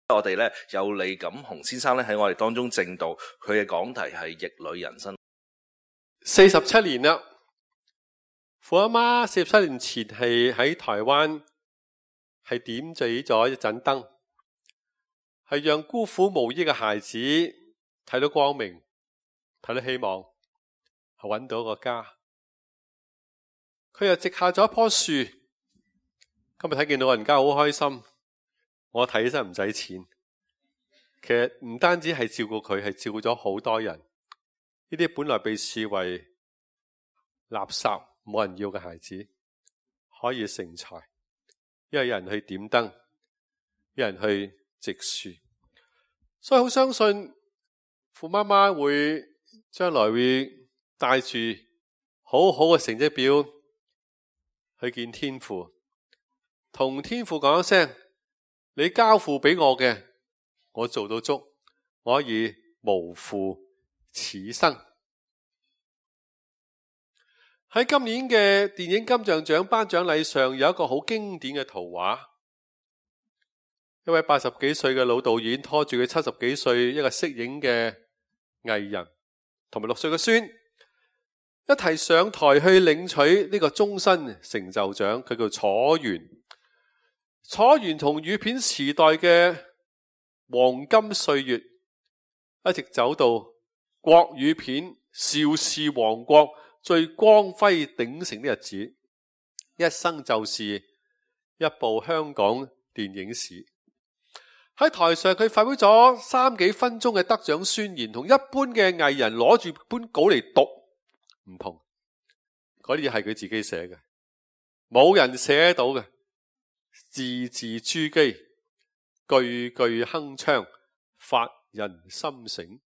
我哋咧有李錦雄先生咧喺我哋當中證道，佢嘅講題係逆旅人生。47年啦，父阿媽47年前係喺台灣係點綴咗一盞燈，係讓孤苦無依嘅孩子睇到光明，睇到希望，係搵到一個家。佢又植下咗一棵樹，今日睇見老人家好開心。我睇起身唔使錢，其實唔單止係照顧佢，係照顧咗好多人。呢啲本來被視為垃圾冇人要嘅孩子，可以成才，因為有人去點燈，有人去植樹，所以好相信父媽媽會將來會帶住好好嘅成績表去見天父，同天父講一聲，你交付俾我嘅，我做到足，我可以無負此生。喺今年嘅電影金像獎頒獎禮上，有一個好經典嘅圖畫，一位80幾歲嘅老導演拖住佢70幾歲一個息影嘅藝人，同埋6歲嘅孫，一齊上台去領取呢個終身成就獎。佢叫楚原。楚原從語片時代嘅黃金歲月，一直走到國語片邵氏王國最光輝鼎盛的日子，一生就是一部香港電影史。喺台上佢發表咗3幾分鐘嘅得獎宣言，同一般嘅藝人攞住本稿嚟讀唔同，嗰啲嘢係佢自己寫嘅，冇人寫得到嘅，字字珠璣，句句鏗鏘，發人心醒。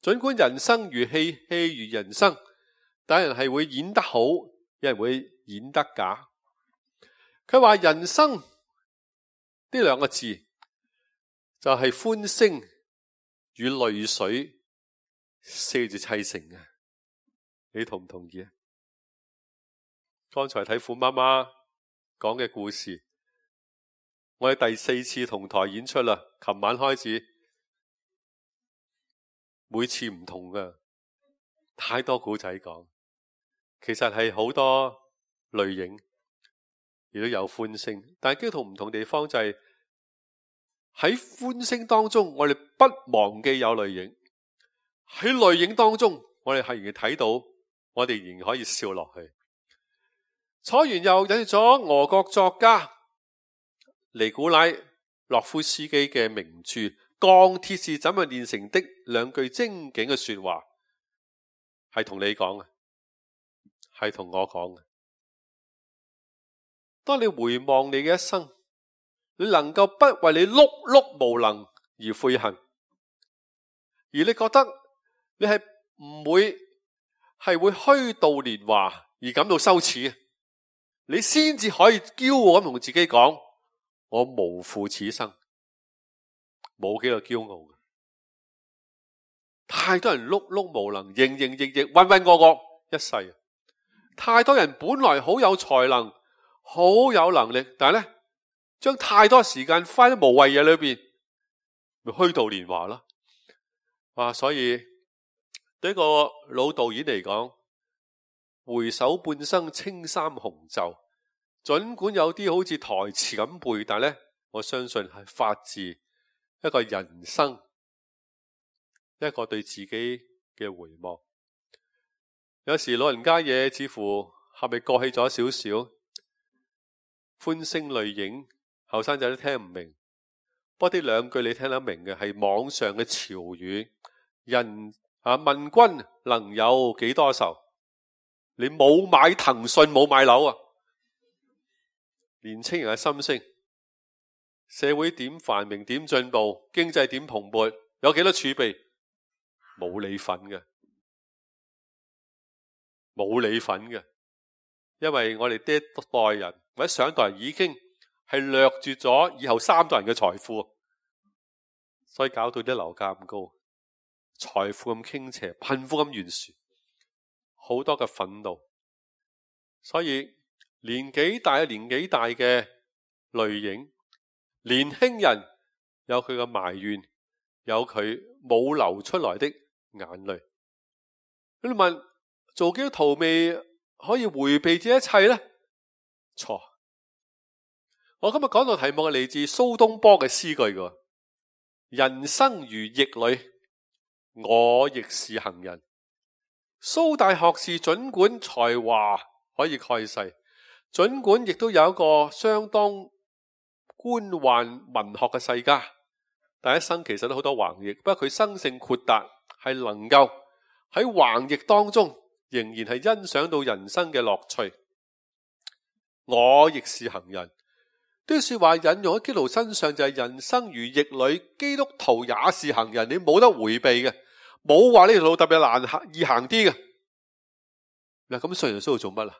盡管人生如戲，戲如人生，但有人係會演得好，有人會演得假。佢話人生呢2個字就係歡聲與淚水4字砌成嘅，你同唔同意啊？剛才睇父媽媽講嘅故事，我哋第4次同台演出啦，琴晚開始，每次唔同㗎，太多古仔講。其實係好多淚影，亦都有歡聲，但係基督徒唔同地方就係喺歡聲當中，我哋不忘記有淚影；喺淚影當中，我哋係仍然睇到，我哋仍然可以笑落去。楚原又引述咗俄國作家尼古拉洛夫斯基嘅名著《鋼鐵是怎樣煉成的》2句精警嘅說話，係同你講嘅，係同我講嘅。當你回望你嘅一生，你能夠不為你碌碌無能而悔恨，而你覺得你係唔會虛度年華而感到羞恥，你先至可以驕傲咁同自己講，我無負此生。冇幾個驕傲嘅，太多人碌碌無能，營營役役，渾渾噩噩一世。太多人本來好有才能，好有能力，但係咧將太多時間花喺無謂嘢裏邊，咪虛度年華啦。哇！所以對一個老導演嚟講，回首半生青衫紅袖，盡管有啲好似台詞咁背，但係咧我相信係發自一個人生，一個對自己嘅回望。有時老人家嘢似乎係咪過氣咗少少，歡聲淚影，後生仔都聽唔明。不過呢2句你聽得明嘅，係網上嘅潮語。人問君能有幾多愁？你冇買騰訊冇買樓啊！年青人嘅心聲，社會點繁榮點進步，經濟點蓬勃，有幾多儲備？冇你份嘅，冇你份嘅，因為我哋呢一代人或者上一代人已經係掠奪咗以後3代人嘅財富，所以搞到啲樓價咁高，財富咁傾斜，貧富咁懸殊，好多嘅憤怒。所以年紀大嘅淚影，年輕人有佢嘅埋怨，有佢冇流出來的眼淚。你問做基督徒未可以迴避這一切呢？錯。我今日講到題目係嚟自蘇東坡嘅詩句嘅，人生如逆旅，我亦是行人。蘇大學士儘管才華可以蓋世，儘管亦都有一個相當官宦文學嘅世家，但一生其實都好多橫逆。不過佢生性豁達，係能夠喺橫逆當中仍然係欣賞到人生嘅樂趣。我亦是行人，呢句說話引用喺基督徒身上就係人生如逆旅，基督徒也是行人，你冇得回避嘅，冇話呢條路特別難行易行啲嘅。嗱，咁信耶穌做乜啊？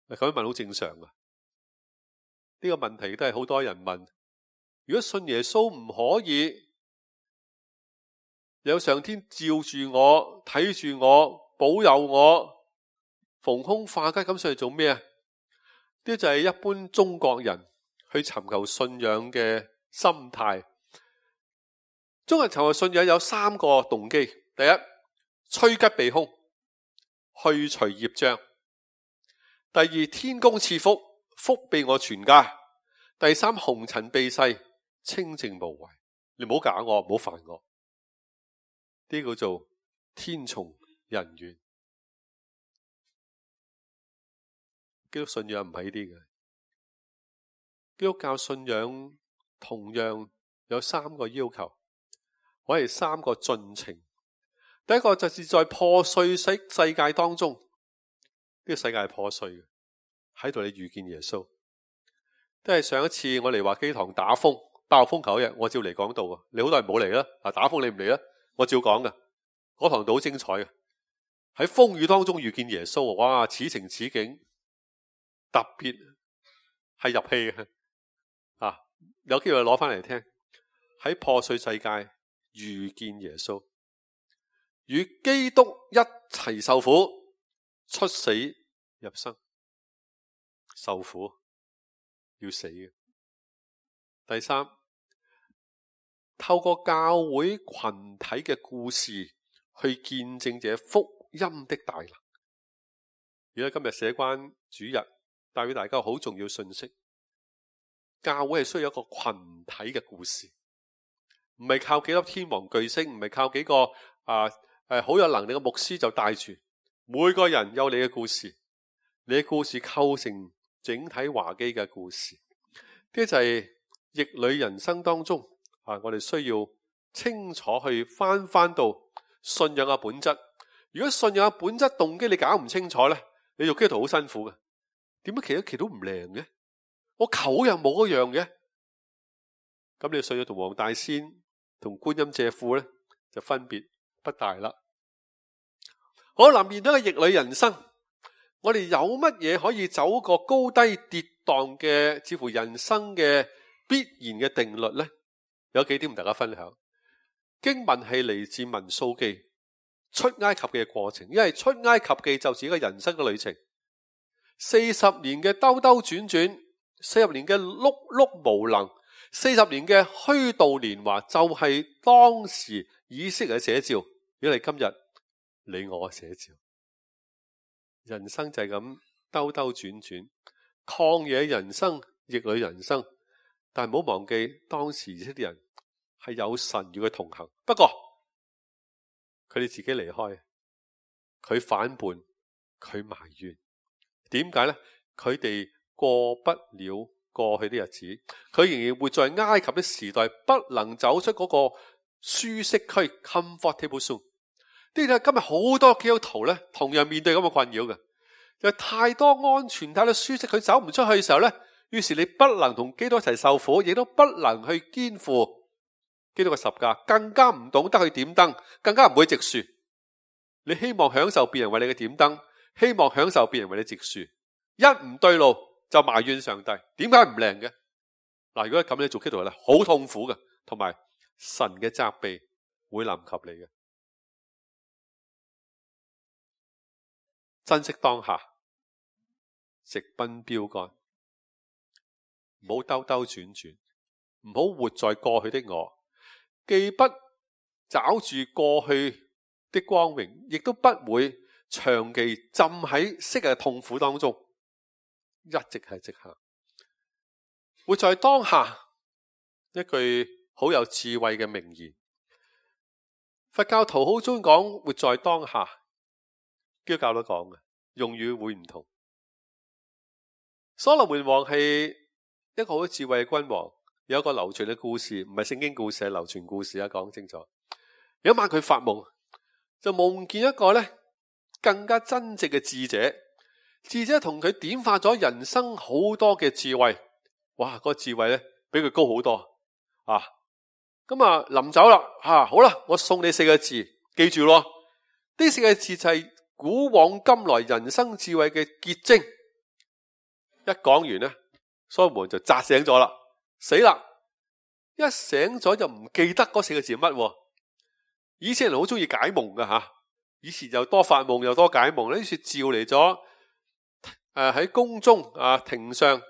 嗱，咁樣問好正常噶。呢個問題都係好多人問。如果信耶穌唔可以有上天照住我、睇住我、保佑我、逢凶化吉，咁上嚟做咩啊？呢就係一般中國人去尋求信仰嘅心態。中國人尋求信仰有3個動機：第一，趨吉避凶，去除業障；第二，天公賜福，福庇我全家；第三，紅塵避世，清淨無為。你唔好搞我，唔好煩我。呢個叫做天從人願。基督信仰唔係呢啲嘅。基督教信仰同樣有3個要求，或者3個進程。第一個就是在破碎世界當中，呢個世界係破碎嘅，喺度你遇見耶穌。都係上一次我嚟華基堂打風爆風球日，我照嚟講道啊。你好多人冇嚟啦，打風你唔嚟啦，我照講㗎。嗰堂道好精彩嘅，喺風雨當中遇見耶穌，哇！此情此景，特別係入戲嘅啊！有機會攞翻嚟聽。喺破碎世界遇見耶穌，與基督一齊受苦，出死入生，受苦要死嘅。第三，透過教會群體嘅故事去見證這福音的大能。如果今日社關主日帶俾大家好重要信息，教會係需要一個群體嘅故事，唔係靠幾粒天王巨星，唔係靠幾個好有能力嘅牧師就帶住。每個人有你嘅故事，你嘅故事構成整體華基嘅故事。呢就係逆旅人生當中我哋需要清楚去翻到信仰嘅本質。如果信仰嘅本質動機你搞唔清楚咧，你做基督徒好辛苦嘅。點解祈都唔靈嘅？我求又冇嗰樣嘅。咁你信仰同黃大仙同觀音借庫咧就分別不大啦。好啦，面對個逆旅人生，我哋有乜嘢可以走個高低跌宕嘅似乎人生嘅必然嘅定律呢？有幾點同大家分享。經文係嚟自民數記出埃及嘅過程，因為出埃及記就似一個人生嘅旅程，40年嘅兜兜轉轉，40年嘅碌碌無能，40年嘅虛度年華，就係當時以色列嘅寫照。如果你今日你我嘅寫照，人生就係咁兜兜轉轉，曠野人生，逆旅人生。但係唔好忘記，當時以色列人係有神與佢同行，不過佢哋自己離開，佢反叛，佢埋怨。點解呢？佢哋過不了過去的日子，佢仍然活在埃及的時代，不能走出嗰個舒適區 comfortable zone。呢啲係今日好多基督徒咧，同樣面對咁嘅困擾嘅，有太多安全、太多舒適，佢走唔出去嘅時候咧，於是你不能同基督一齊受苦，亦都不能去肩負基督嘅十架，更加唔懂得去點燈，更加唔會植樹。你希望享受別人為你嘅點燈，希望享受別人為你植樹，一唔對路就埋怨上帝，點解唔靈嘅？嗱，如果咁你做基督徒咧，好痛苦嘅，同埋神嘅責備會臨及你嘅。珍惜當下，直奔標杆，唔好兜兜轉轉。唔好活在過去的我，既不抓住過去的光榮，亦都不會長期浸喺昔日嘅痛苦當中，一直係直行。活在當下，一句好有智慧嘅名言。佛教徒好中意講活在當下，基督教都講嘅，用語會唔同。所羅門王係一個好智慧嘅君王，有一個流傳嘅故事，唔係聖經故事，係流傳故事啊，講清楚。有一晚佢發夢，就夢見一個咧更加真正嘅智者，智者同佢點化咗人生好多嘅智慧。哇，嗰個智慧咧比佢高好多啊！咁啊臨走啦，好啦，我送你4個字，記住咯。呢4個字就係古往今來人生智慧嘅結晶。一講完咧，所羅門就扎醒咗啦，死啦！一醒咗就唔記得嗰4個字乜。以前人好中意解夢噶吓，以前又多發夢又多解夢，呢次召嚟咗喺宮中庭上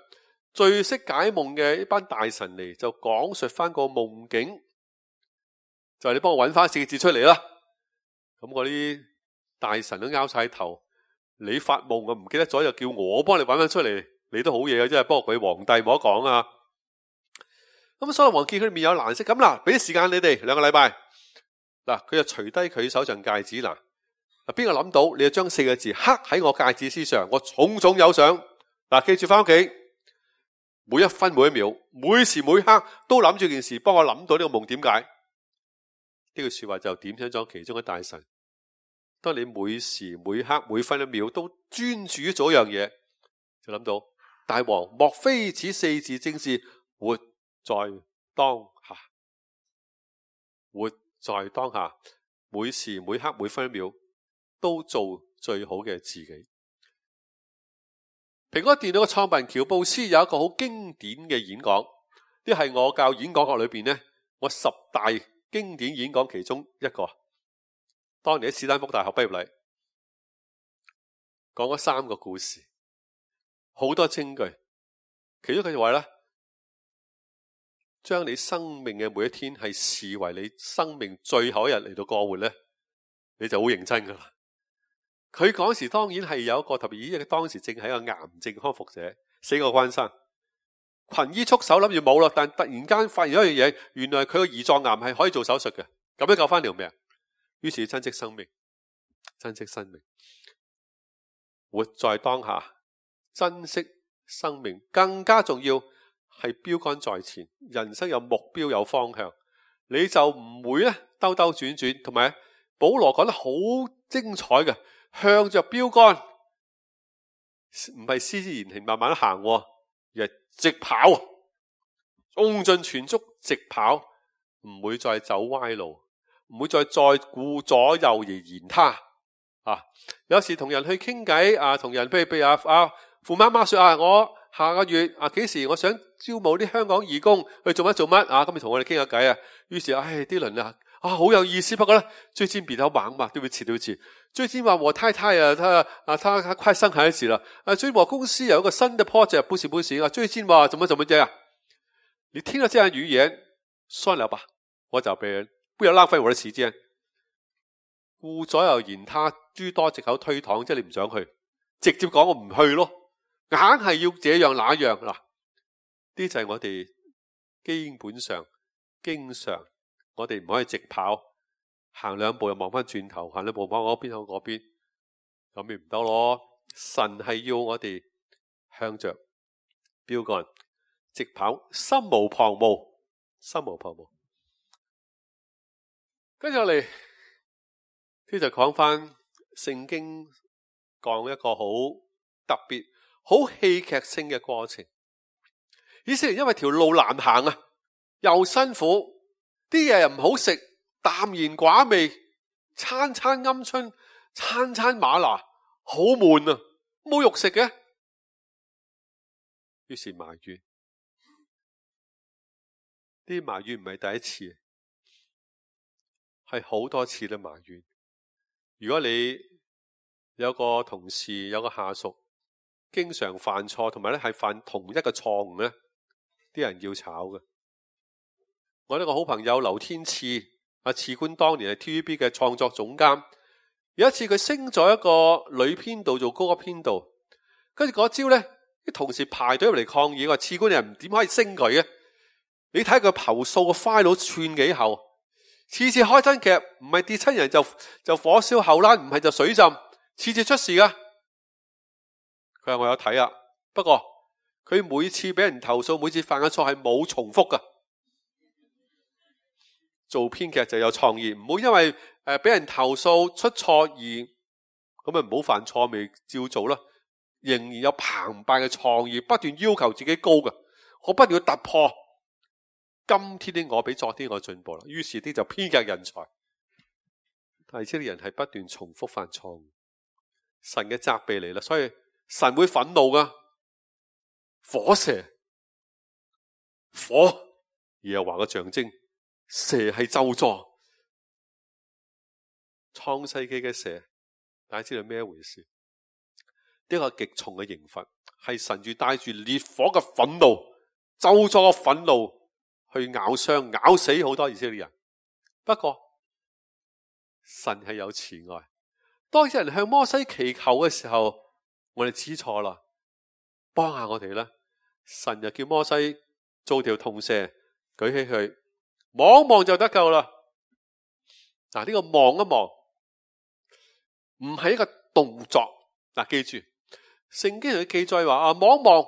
最識解夢嘅一班大臣嚟，就講述翻個夢境，就係你幫我揾翻4個字出嚟啦。咁嗰啲大臣都拗晒頭，你發夢我唔記得咗，就叫我幫你揾翻出嚟，你都好嘢嘅，真係。不過佢皇帝冇得講啊。咁所羅門見佢面有難色，咁啦，俾啲時間你哋2個禮拜。嗱，佢就除低佢手上戒指。嗱，邊個諗到你就將4個字刻喺我戒指之上，我重重有賞。嗱，記住翻屋企，每一分每一秒，每時每刻都諗住件事，幫我諗到呢個夢點解。呢句說話就點醒咗其中嘅大臣。當你每時每刻每分一秒都專注於做一樣嘢，就諗到大王，莫非此4字正是活在當下？活在當下，每時每刻每分一秒都做最好嘅自己。蘋果電腦嘅創辦人喬布斯有一個好經典嘅演講，呢係我教演講學裏邊呢，我10大經典演講其中一個。當年喺史丹福大學畢業禮，講咗3個故事，好多證據。其中佢就話咧，將你生命嘅每一天係視為你生命最後一日嚟到過活咧，你就好認真噶啦。佢嗰時當然係有一個特別，因為當時正係一個癌症康復者，死過關生，群醫束手諗住冇啦，但突然間發現一樣嘢，原來佢個胰臟癌係可以做手術嘅，咁樣救翻條命。於是珍惜生命，珍惜生命，活在當下，珍惜生命，更加重要係標杆在前，人生有目標有方向，你就唔會咧兜兜轉轉。同埋保羅講得好精彩嘅，向着標杆，唔係施之言行慢慢行，而係直跑，用盡全速直跑，唔會再走歪路，唔會再顧左右而言他。有時同人去傾偈，同人譬如父媽媽說我下個月幾時我想招募啲香港義工去做乜咁你同我哋傾下偈。於是啲人好有意思，不過呢最近比較忙嘛，對不起，最近話我太太她快生孩子了，最近我公司有一個新的 project， 不行，最近話怎麼樣。你聽了這樣語言，算了吧，我找別人，不要浪費我的時間。顧左右言他，諸多藉口推搪，即係你唔想去，直接講我唔去咯，硬係要這樣那樣。嗱，呢就係我哋基本上經常我哋唔可以直跑，行2步又望翻轉頭，行2步望嗰邊向嗰邊，咁咪唔得咯。神係要我哋向着標杆直跑，心無旁騖，心無旁騖。跟住落嚟，呢就講翻聖經講一個好特別、好戲劇性嘅過程。以色列因為條路難行又辛苦，啲嘢又唔好食，淡然寡味，餐餐鵪鶉，餐餐嗎哪，好悶冇肉食嘅。於是埋怨，啲埋怨唔係第一次，係好多次都埋怨。如果你有個同事有個下屬經常犯錯，同埋咧係犯同一個錯誤咧，啲人要炒嘅。我呢個好朋友劉天賜，賜官當年係 TVB 嘅創作總監。有一次佢升咗一個女編導做高級編導，跟住嗰朝呢，啲同事排隊入嚟抗議，話賜官人點可以升佢嘅？你睇佢投訴個 file 寸幾厚，次次開真劇唔係跌親人就火燒後欄，唔係就水浸，次次出事噶。佢話我有睇啊，不過佢每次俾人投訴，每次犯嘅錯係冇重複噶。做編劇就有創意，唔好因為俾人投訴出錯而咁咪唔好犯錯，咪照做啦。仍然有澎湃嘅創意，不斷要求自己高嘅，我不斷要突破。今天的我比昨天我進步啦，於是啲就編劇人才。但係呢啲人係不斷重複犯錯誤，神嘅責備嚟啦，所以神會憤怒噶。火蛇，火，耶和華嘅象徵，蛇係咒詛。創世紀嘅蛇，大家知道咩回事？呢個極重嘅刑罰，係神住帶住烈火嘅憤怒、咒詛嘅憤怒去咬傷、咬死好多以色列人。不過神係有慈愛，當有人向摩西祈求嘅時候，我哋知錯啦，幫下我哋啦。神就叫摩西做條銅蛇，舉起佢，望一望就得救啦。嗱，呢個望一望唔係一個動作。嗱，記住聖經佢記載話望一望，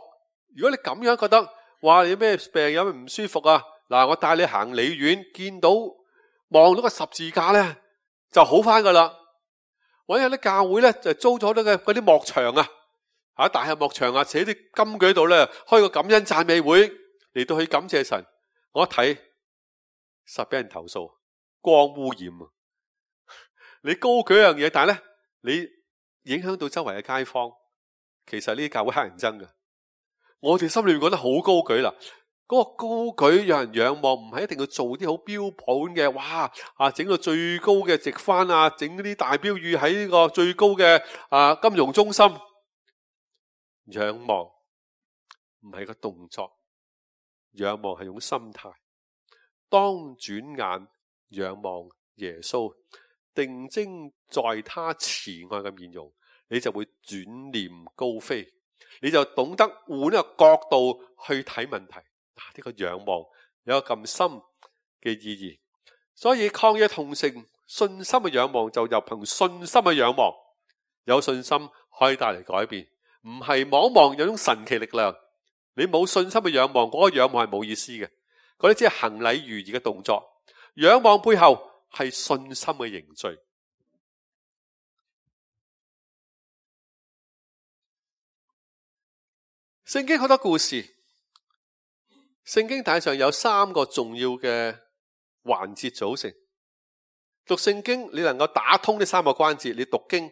如果你咁樣覺得，哇，你有咩病，有咩唔舒服啊？嗱，我帶你行李院，見到望到個十字架咧，就好翻噶啦。或者有啲教會咧就租咗嗰啲幕牆啊，大廈幕牆啊，寫啲金句喺度咧，開個感恩讚美會嚟到去感謝神。我一睇實俾人投訴，光污染啊！你高舉一樣嘢，但係咧你影響到周圍嘅街坊，其實呢啲教會乞人憎㗎。我哋心裏面覺得好高舉啦，嗰個高舉讓人仰望，唔係一定要做啲好標本嘅，哇整到最高嘅直幡啊，整啲大標語喺呢個最高嘅金融中心。仰望唔係個動作，仰望係種心態。當轉眼仰望耶穌，定睛在他慈愛嘅面容，你就會轉念高飛，你就懂得換一個角度去睇問題。呢個仰望有一個咁深嘅意義，所以曠野同城信心嘅仰望就由憑信心嘅仰望，有信心可以帶嚟改變，唔係望一望有種神奇力量。你冇信心嘅仰望，嗰個仰望係冇意思嘅，嗰啲只係行禮如儀嘅動作。仰望背後係信心嘅凝聚。聖經好多故事，聖經大上有3個重要嘅環節組成。讀聖經你能夠打通呢3個關節，你讀經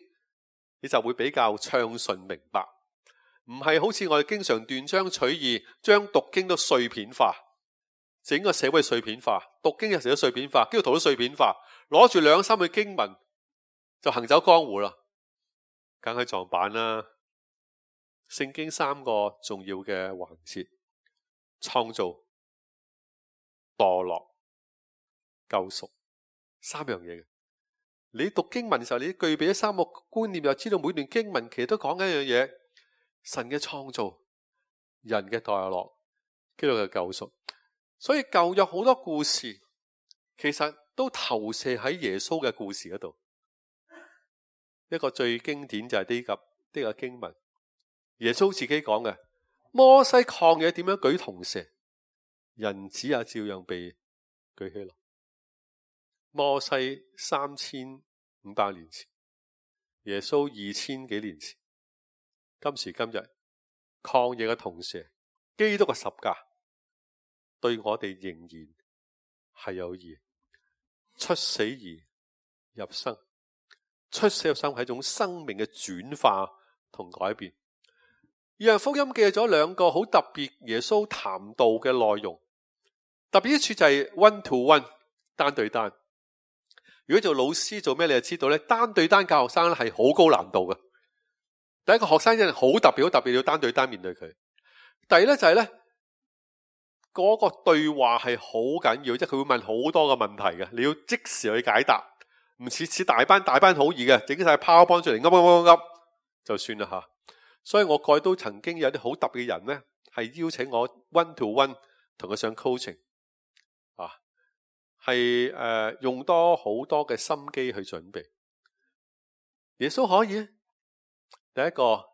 你就會比較暢順明白，唔係好似我哋經常斷章取義，將讀經都碎片化，整個社會碎片化，讀經有時都碎片化，基督徒都碎片化，攞住2-3句經文就行走江湖啦，梗係撞板啦。聖經3個重要嘅環節：創造、墮落、救贖，3樣嘢嘅。你讀經文嘅時候，你具備咗3個觀念，又知道每段經文其實都講緊一樣嘢：神嘅創造、人嘅墮落、基督嘅救贖。所以舊約好多故事，其實都投射喺耶穌嘅故事嗰度。一個最經典就係呢個經文。耶穌自己講嘅，摩西曠野點樣舉銅蛇，人子也照樣被舉起來。摩西3500年前，耶穌2000幾年前，今時今日曠野嘅銅蛇，基督嘅十架，對我哋仍然係有義。出死而入生，出死入生係一種生命嘅轉化同改變。約翰福音記咗2個好特別耶穌談道嘅內容，特別一處就係 one to one， 單對單。如果做老師做咩，你就知道咧，單對單教學生咧係好高難度嘅。第一個學生真係好特別，好特別要單對單面對佢。第二咧就係咧，嗰個對話係好緊要，即係佢會問好多個問題嘅，你要即時去解答，唔似大班好易嘅，整晒 PowerPoint 出嚟噏就算啦吓。所以我過去都曾經有啲好特別嘅人呢，係邀請我 one to one 同佢上 coaching 啊，係用多好多嘅心機去準備。耶穌可以，第一個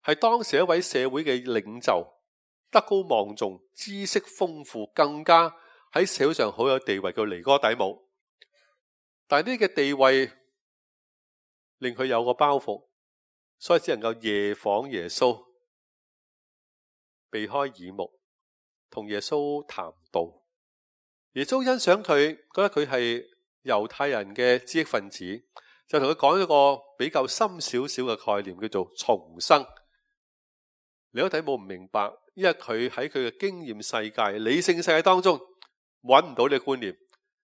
係當時一位社會嘅領袖，德高望重，知識豐富，更加喺社會上好有地位，叫尼哥底母。但係呢個地位令佢有個包袱，所以只能夠夜訪耶穌，避開耳目，同耶穌談道。耶穌欣賞佢，覺得佢係猶太人嘅知識分子，就同佢講一個比較深少少嘅概念，叫做重生。尼哥底母唔明白，因為佢喺佢嘅經驗世界、理性世界當中揾唔到呢個觀念。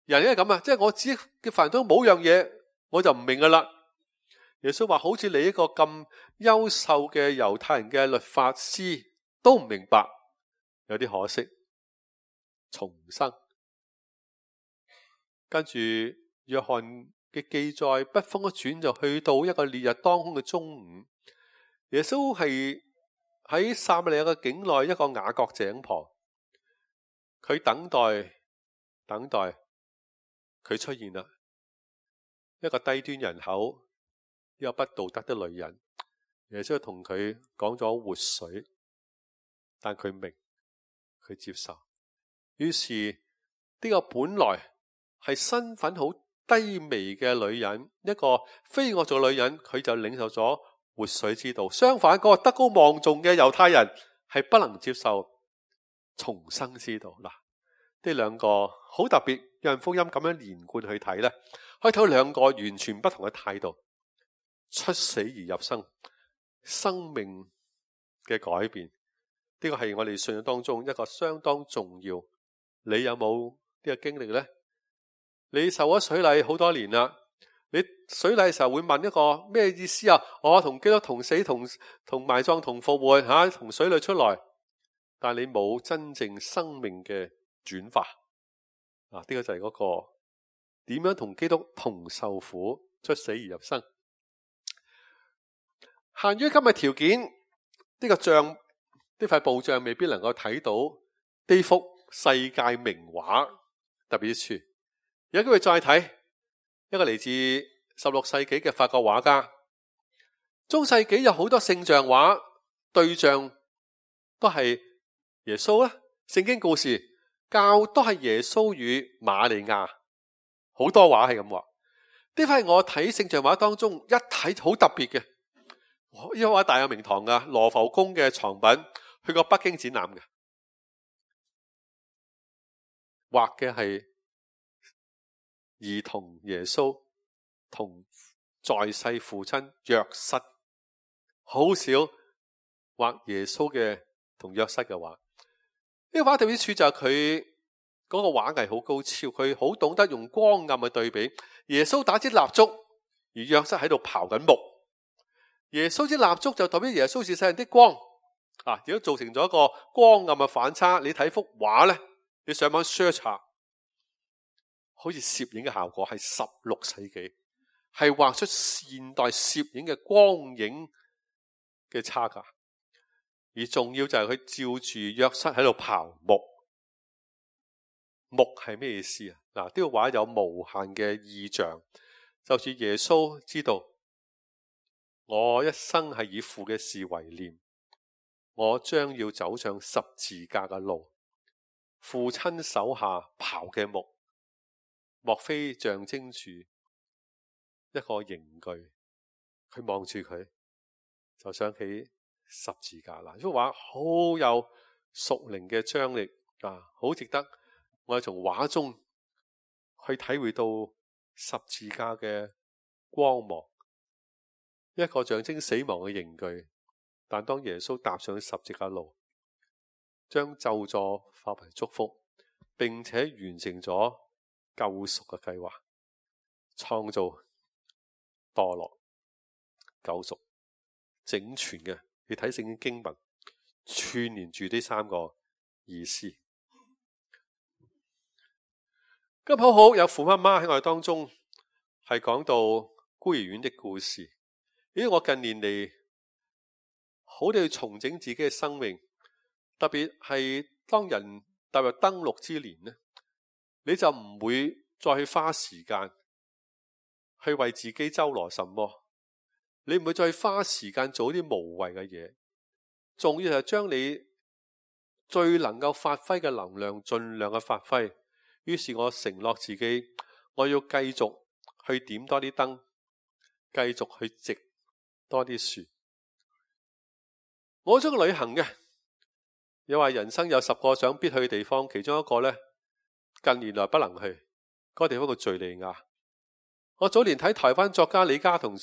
人係咁啊，即係我知嘅範疇冇樣嘢，我就唔明噶啦。耶穌話：好似你一個咁優秀嘅猶太人嘅律法師都唔明白，有啲可惜。重生，跟住約翰嘅記載，筆鋒一轉就去到一個烈日當空嘅中午。耶穌係喺撒瑪利亞嘅境內一個雅各井旁，佢等待佢出現啦。一個低端人口，一個不道德的女人，耶穌同佢講咗活水，但佢明，佢接受。於是呢個本來係身份好低微嘅女人，一個非我族嘅女人，佢就領受咗活水之道。相反，嗰個德高望重嘅猶太人係不能接受重生之道。嗱，呢兩個好特別，約翰福音咁樣連貫去睇呢，可以睇到兩個完全不同嘅態度，出死而入生，生命嘅改變。呢個係我哋信仰當中一個相當重要。你有冇呢個經歷呢？你受咗水禮好多年啦，你水禮嘅時候會問一個咩意思啊？我同基督同死同埋葬同復活吓，從水裏出來，但你冇真正生命嘅轉化啊！呢個就係嗰個點樣同基督同受苦，出死而入生。限於今日條件，呢個像呢塊布像未必能夠睇到呢幅世界名畫特別之處。有機會再睇一個嚟自16世紀嘅法國畫家。中世紀有好多聖像畫，對象都係耶穌啦，聖經故事教都係耶穌與瑪利亞，好多畫係咁畫。呢塊我睇聖像畫當中一睇好特別嘅，呢幅畫大有名堂噶，羅浮宮嘅藏品，去過北京展覽嘅，畫嘅係兒童耶穌同在世父親約瑟，好少畫耶穌嘅同約瑟嘅畫。呢個畫特別之處就係佢嗰個畫藝好高超，佢好懂得用光暗嘅對比。耶穌打支蠟燭，而約瑟喺度刨緊木。耶穌支蠟燭就代表耶穌是世人的光啊，亦都造成咗一個光暗嘅反差。你睇幅畫呢，你上網 search 下，好似攝影嘅效果係16世紀，係畫出現代攝影嘅光影嘅差價。而重要就係佢照住約瑟喺度刨木。木係咩意思啊？嗱，呢個畫有無限嘅意象，就似耶穌知道我一生係以父嘅事為念，我將要走上十字架嘅路。父親手下刨嘅木，莫非象徵住一個刑具？佢望住佢，就想起十字架啦。呢幅畫好有屬靈嘅張力啊，好值得我哋從畫中去體會到十字架嘅光芒。一個象徵死亡嘅刑具，但當耶穌踏上十字架路，將咒詛化為祝福，並且完成咗救贖嘅計劃，創造、墮落、救贖，整全嘅。你睇聖經經文串連住呢三個意思。咁好好有父媽媽喺我哋當中係講到孤兒院的故事。因為我近年嚟好地去重整自己嘅生命，特別係當人踏入登陸之年呢，你就唔會再去花時間去為自己周羅什麼，你唔會再花時間做啲無謂嘅嘢，仲要係將你最能夠發揮嘅能量盡量嘅發揮。於是我承諾自己，我要繼續去點多啲燈，繼續去植多啲樹。我中意旅行嘅，又話人生有10個想必去嘅地方，其中一個呢，近年來不能去，嗰個地方叫敘利亞。我早年睇台灣作家李家同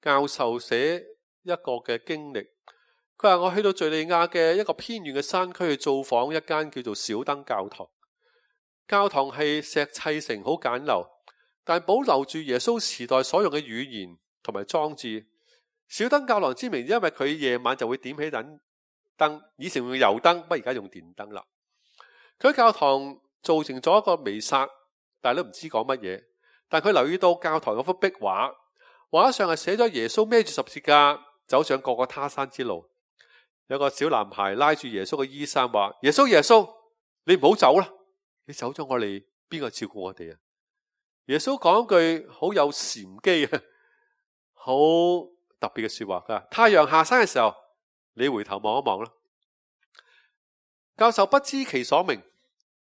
教授寫一個嘅經歷，佢話我去到敘利亞嘅一個偏遠嘅山區去造訪一間叫做小燈教堂。教堂係石砌成，好簡陋，但保留住耶穌時代所用嘅語言同埋裝置。小燈教堂之名，因為佢夜晚就會點起盞燈，以前用油燈，不過而家用電燈啦。佢喺教堂造成咗一個彌撒，但係都唔知講乜嘢。但佢留意到教堂嗰幅壁畫，畫上係寫咗耶穌孭住十字架走上各個他山之路。有個小男孩拉住耶穌嘅衣衫話：耶穌耶穌，你唔好走啦！你走咗我哋，邊個照顧我哋啊？耶穌講一句好有禪機啊，好特別嘅說話。佢話：太陽下山嘅時候，你回頭望一望啦。教授不知其所名，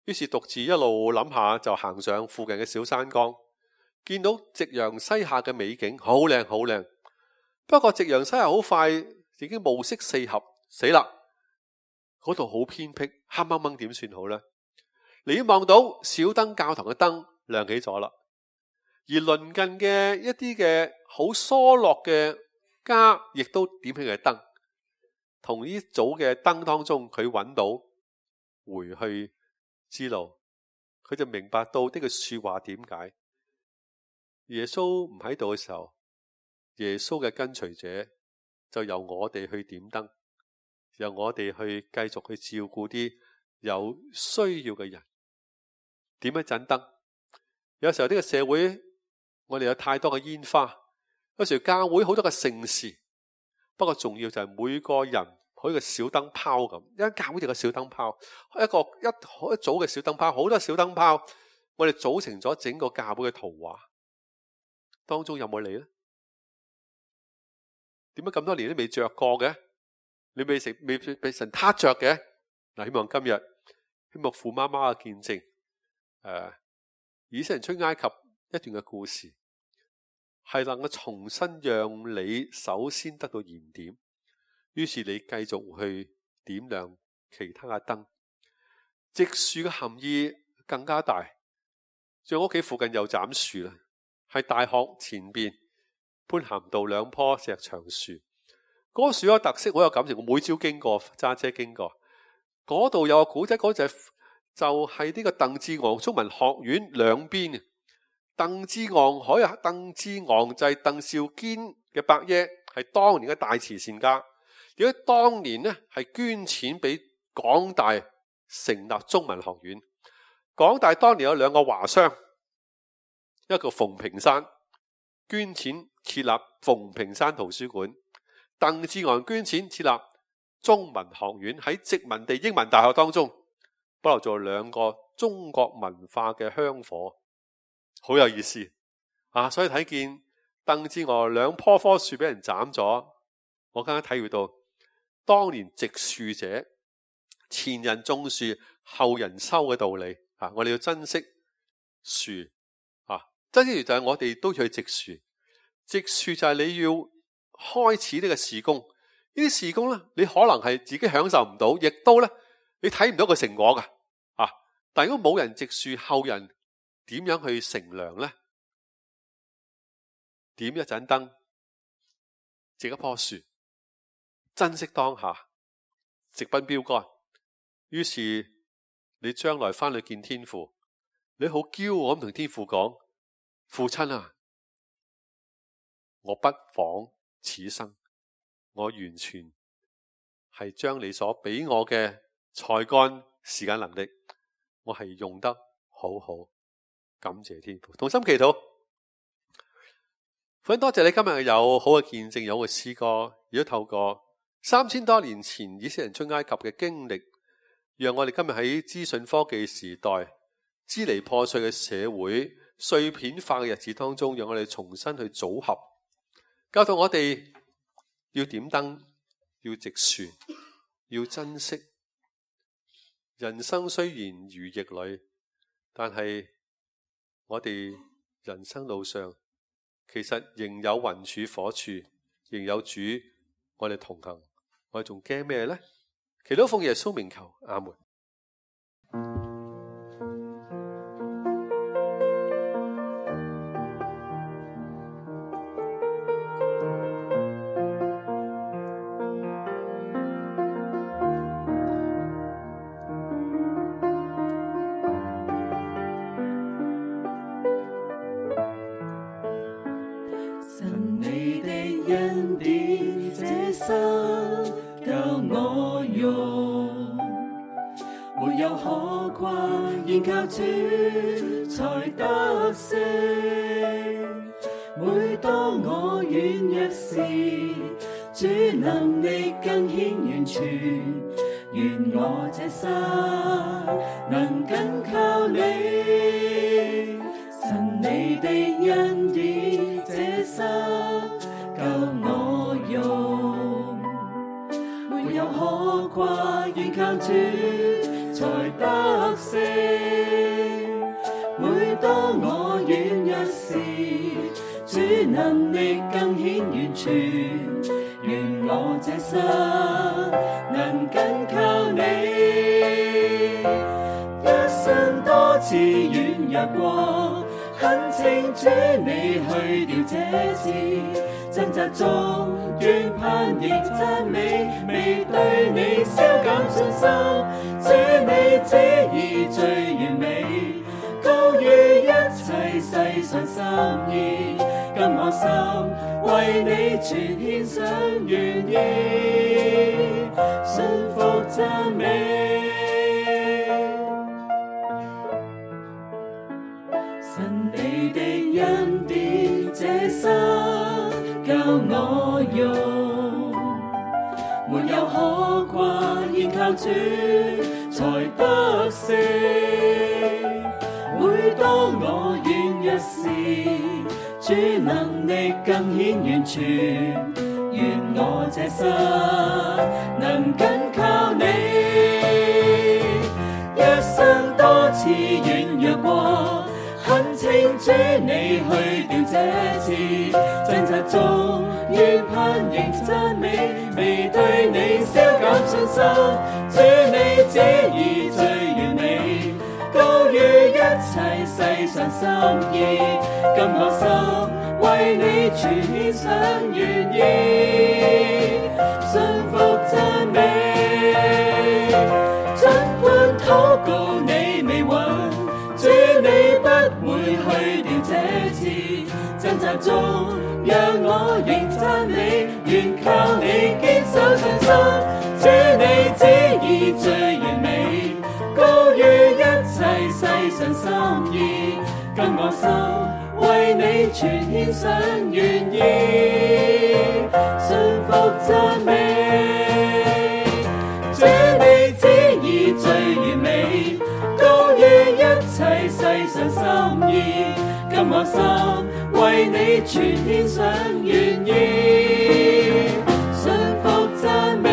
於是獨自一路諗下，就行上附近嘅小山崗，見到夕陽西下嘅美景，好靚好靚。不過夕陽西下好快，已經暮色四合，死啦！嗰度好偏僻，黑掹掹，點算好呢？你望到小燈教堂嘅燈亮起咗啦，而鄰近嘅一啲嘅好疏落嘅家亦都點起嘅燈，同呢組嘅燈當中，佢揾到回去之路，佢就明白到呢句說話點解。耶穌唔喺度嘅時候，耶穌嘅跟隨者就由我哋去點燈，由我哋去繼續去照顧啲有需要嘅人。點一盞燈，有時候呢個社會我哋有太多嘅煙花，有時候教會好多嘅盛事，不過重要就係每個人好似個小燈泡咁，一間教會就個小燈泡，一組嘅小燈泡，好多小燈泡，我哋組成咗整個教會嘅圖畫。當中有冇你呢？點解咁多年都未着過嘅？你未被神撻着嘅？嗱，希望今日希望父媽媽嘅見證。以色列人出埃及一段嘅故事，係能夠重新讓你首先得到燃點，於是你繼續去點亮其他嘅燈。植樹嘅含義更加大，在我屋企附近又斬樹啦，係大學前邊潘咸道2棵石牆樹。嗰個樹有特色，好有感情。我每朝經過，揸車經過嗰度有個古仔，嗰就係呢個鄧志昂中文學院兩邊嘅。鄧志昂就係鄧肇堅嘅伯爺，係當年嘅大慈善家。如果當年呢係捐錢俾港大成立中文學院，港大當年有2個華商，一個馮平山捐錢設立馮平山圖書館，鄧志昂捐錢設立中文學院，喺殖民地英文大學當中保留咗2個中國文化嘅香火，好有意思啊！所以睇見鄧志昂2棵樹俾人斬咗，我更加體會到當年植樹者前人種樹後人收嘅道理啊！我哋要珍惜樹啊！珍惜樹就係我哋都要去植樹，植樹就係你要開始呢個事工。呢啲事工呢，你可能係自己享受唔到，亦都呢你睇唔到個成果噶啊！但如果冇人植樹，後人點樣去乘涼呢？點一盞燈，植一棵樹，珍惜當下，直奔標杆。於是你將來翻去見天父，你好驕傲咁同天父講：父親啊，我不枉此生，我完全係將你所俾我嘅才幹、時間、能力，我係用得好好。感謝天父，同心祈禱。父，多謝你今日有好嘅見證，有好嘅詩歌，亦都透過3000多年前以色列人出埃及嘅經歷，讓我哋今日喺資訊科技時代、支離破碎嘅社會、碎片化嘅日子當中，讓我哋重新去組合，教導我哋要點燈，要直船，要珍惜。人生雖然如逆旅，但係我哋人生路上其實仍有雲柱火柱，仍有主我哋同行，我哋仲驚咩呢？祈禱奉耶穌名求，阿門。靠主才得勝。每當我軟弱時，主能力更顯完全。願我這心能緊靠你，神你的恩典，這心夠我用。沒有可掛，願靠主才得勝。每當我軟弱時，主能力更顯完全。願我這心能緊靠你，一生多次軟弱過，懇請主你去掉這次，掙扎中願盼亦讚美，未對你消減信心。主你旨意最完美，高於一切世上心意。今我心為你全獻上，願意信服讚美。神你的恩典，這心夠我用，沒有可掛，現靠主才得勝。每當我軟弱時，主能力更顯完全。願我這心能緊靠你，一生多次軟弱過，懇請主你去掉這次，掙扎中願盼仍讚美，未對你消減信心。主你旨意最完美，高於一切世上心意。今我心為你全獻上，願意信服讚美。儘管禱告你未允，主你不會去掉這次，掙扎中讓我仍讚美，願靠你堅守信心。主你旨意最完美，高於一切世上心意。今我心為你全獻上，願意信服讚美。主你旨意最完美，高於一切世上心意。今我心為你全獻上，願意信服讚美。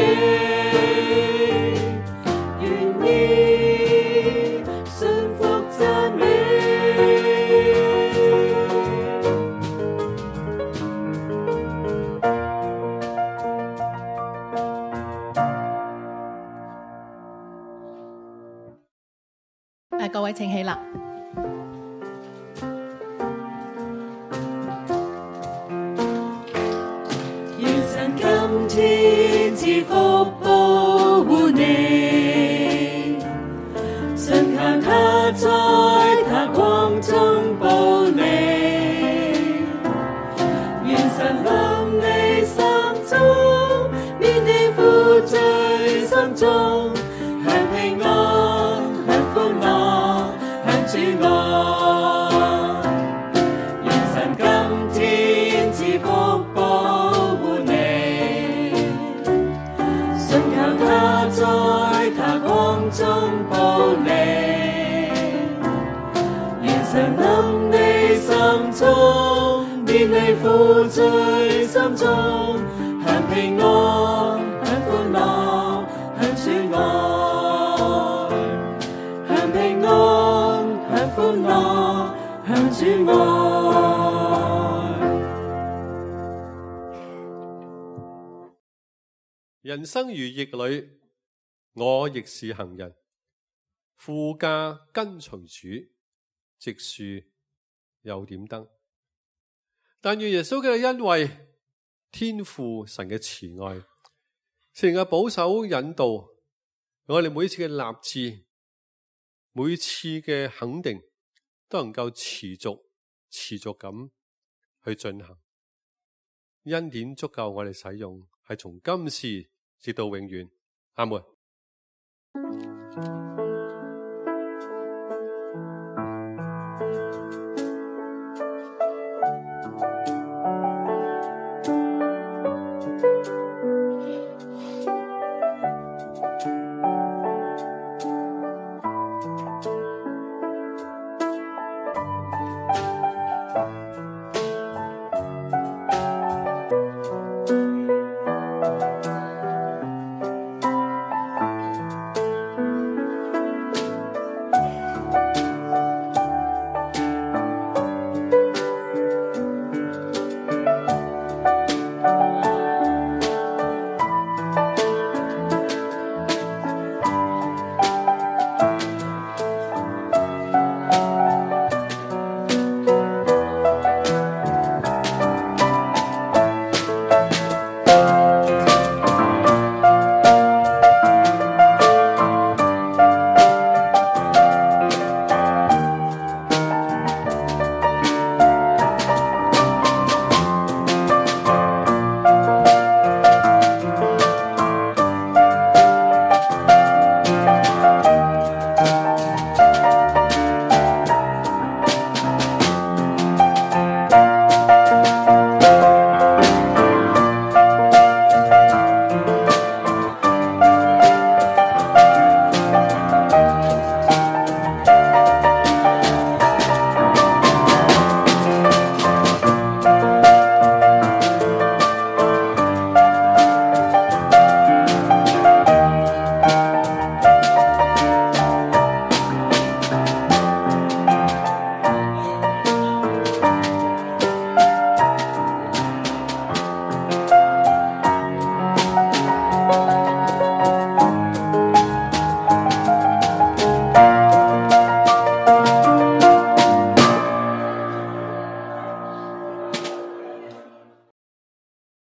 各位請起立。願神今天賜福保護你，信靠他在他光中保你。願神臨你心中，免你負罪心中，享平安，享歡樂，享主愛。你負罪心中，享平安，享歡樂，享主愛，享平安，享歡樂，享主愛。人生如逆旅，我亦是行人，負架跟隨主，直樹又點燈。但願耶穌嘅恩惠、天父神嘅慈愛、聖靈嘅保守引導，我哋每次嘅立志、每次嘅肯定，都能夠持續咁去進行。恩典足夠我哋使用，係從今時直到永遠。阿門。